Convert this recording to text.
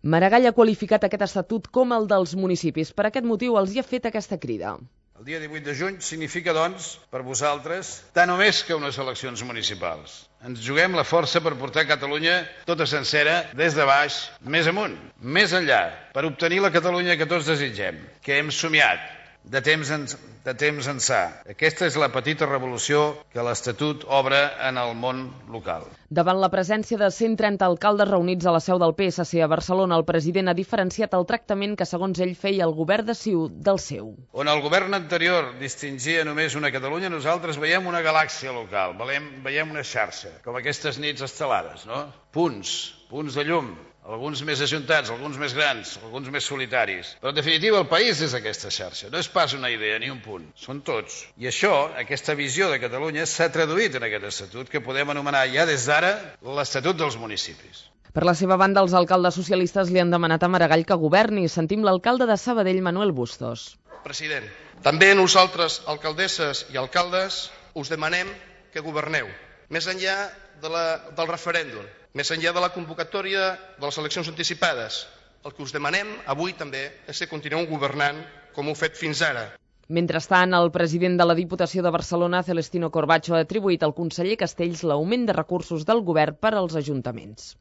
Maragall ha qualificat aquest estatut com el dels municipis. Per aquest motiu els hi ha fet aquesta crida. El dia 18 de juny significa, doncs, per vosaltres, tant o més que unes eleccions municipals. Ens juguem la força per portar Catalunya tota sencera, des de baix, més amunt, més enllà, per obtenir la Catalunya que tots desitgem, que hem somiat de temps ençà. Aquesta és la petita revolució que l'Estatut obre en el món local. Davant la presència de 130 alcaldes reunits a la seu del PSC a Barcelona, el president ha diferenciat el tractament que, segons ell, feia el govern de CiU del seu. On el govern anterior distingia només una Catalunya, nosaltres veiem una galàxia local, veiem una xarxa, com aquestes nits estelades, no? Punts de llum, alguns més ajuntats, alguns més grans, alguns més solitaris. Però en definitiva el país és aquesta xarxa, no és pas una idea ni un punt, són tots. I això, aquesta visió de Catalunya, s'ha traduït en aquest estatut que podem anomenar ja des d'ara l'Estatut dels Municipis. Per la seva banda, els alcaldes socialistes li han demanat a Maragall que governi. Sentim l'alcalde de Sabadell, Manuel Bustos. President, també nosaltres, alcaldesses i alcaldes, us demanem que governeu, més enllà del referèndum, més enllà de la convocatòria de les eleccions anticipades. El que us demanem avui també és que continueu governant com ho heu fet fins ara. Mentrestant, el president de la Diputació de Barcelona, Celestino Corbacho, ha atribuït al conseller Castells l'augment de recursos del govern per als ajuntaments.